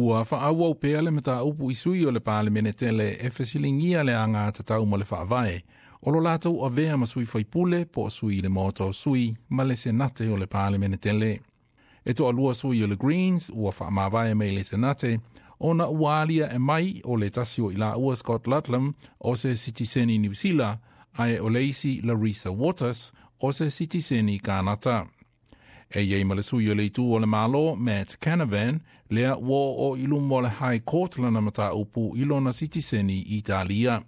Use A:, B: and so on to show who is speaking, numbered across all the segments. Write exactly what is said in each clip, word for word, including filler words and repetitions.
A: Ua faaauau pea le mataupu i sui o le Palemene tele e fesiligia le agatatau ma le faavae o lo latou avea ma sui faipule po o sui i le Maota o Sui ma le Senate o le Palemene tele. E toalua sui o le Greens ua faamavae mai le Senate ona ua aliae mai o le tasi o i laua Scott Ludlam o se sitiseni Niu Sila ae o le isi Larissa Waters o se sitiseni Kanata. E i ai ma le sui o le itu o le Malo Matt Canavan lea ua oo i luma o le High Court lana mataupu i lona sitiseni Italia.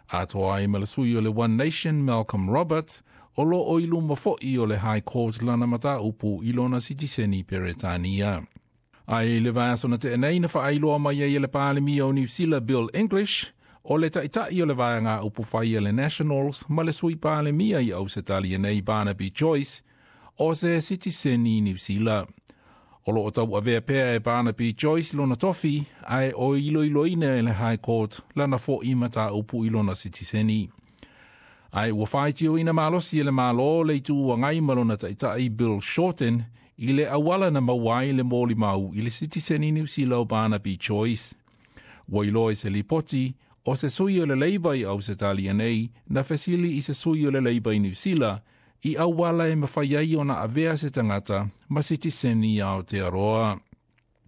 A: Atoa ai ma le sui o le One Nation Malcolm Roberts o lo o i luma foi o le High Court lana mataupu i lona sitiseni Peretania. Ae i le vaiaso na tea nei na faailoa mai ai e le Palemia o Niu Sila Bill English o le taitai o le vaega upufai a le Nationals ma le sui Palemia i Ausetalia nei Barnaby Joyce o se sitiseni Niu Sila. O lo o tauavea pea e Barnaby Joyce lona tofi ae o iloiloina e le High Court lana foi mataupu i lona sitiseni. Ae ua faitioina malosi e le Malo le itu agai ma lona taitai Bill Shorten i le auala na maua ai le molimau i le sitiseni Niu Sila o Barnaby Joyce. Ua iloa i se lipoti o se sui o le Labour i Ausetalia nei na fesili i se sui o le Labour i Niu Sila i auala e mafai ai ona avea se tagata ma sitiseni Aotearoa.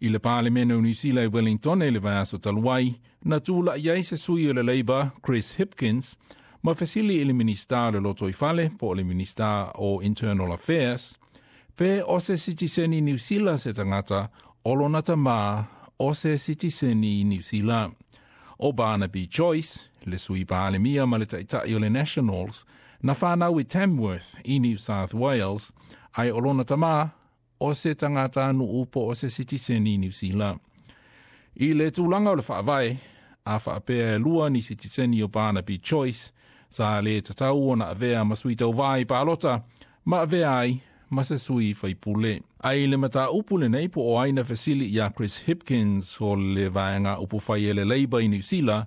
A: I le Palemene o Niu Sila i Wellington i le vaiaso talu ai, na tula'i ai se sui o le Labour Chris Hipkins ma fesili i le Minista o le Lotoifale po o le Minista o Internal Affairs pe o se sitiseni Niu Sila se tagata o lona tamā o se sitiseni Niu Sila. O Barnaby Joyce, le sui Palemia ma le taitai o le Nationals, na whanau i Tamworth i New South Wales, ae o lona tamā o se tagatanuu po o se sitiseni Niu Sila. I le tulaga o le faavae, a faapea e lua ni sitiseni o Barnaby Joyce, sa le tatau ona avea ma sui tauvā i palota, ma avea ai ma se sui faipule. Ae i le mataupu lenei po o ai na fesili iā Chris Hipkins o le vaega upufai a le Labour i Niu Sila,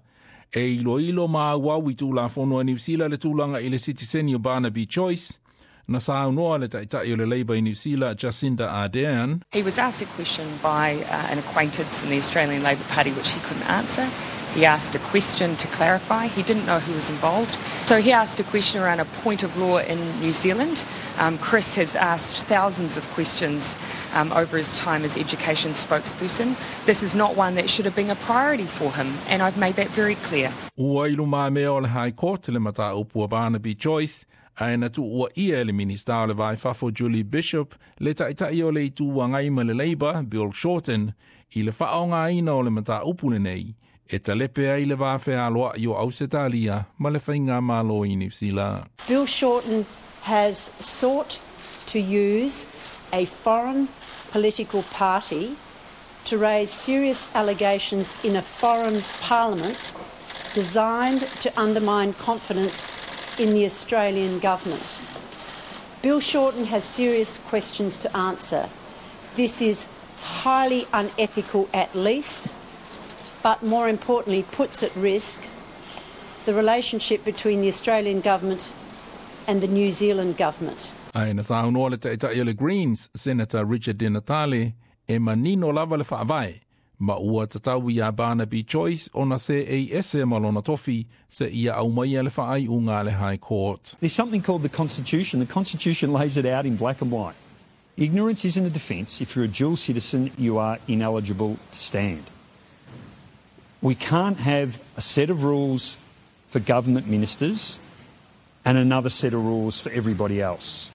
A: e iloilo ma auau i Tulafono a Niu Sila le tulaga i le sitiseni o Barnaby Joyce, na saunoa le taitai o le Labour i Niu Sila Jacinda Ardern.
B: He was asked a question by uh, an acquaintance in the Australian Labor Party which he couldn't answer. He asked a question to clarify. He didn't know who was involved. So he asked a question around a point of law in New Zealand. Um, Chris has asked thousands of questions um, over his time as education spokesperson. This is not one that should have been a priority for him, and I've made that very clear.
A: Ua i lumamea o le High Court le mataupu a Barnaby Joyce, ae na tuuaia e le Minista o le Va i Fafo Julie Bishop le taitai o le Itu Agai ma le Labour Bill Shorten i le faaaogaina o le mataupu lenei e talepe ai le va fealoai o Ausetalia ma le faigamalo i Niu Sila.
C: Bill Shorten has sought to use a foreign political party to raise serious allegations in a foreign parliament designed to undermine confidence in the Australian government. Bill Shorten has serious questions to answer. This is highly unethical at least, but more importantly puts at risk the relationship between the Australian government and the New Zealand government.
A: Ae na saunoa le taitai o le Greens, Senator Richard Di Natale, e manino lava le faavae, ma ua tatau iā Barnaby Joyce ona seei ese ma lona tofi seia aumaia le faaiuga a le High Court.
D: There's something called the Constitution. The Constitution lays it out in black and white. Ignorance isn't a defence. If you're a dual citizen, you are ineligible to stand. We can't have a set of rules for government ministers and another set of rules for everybody else.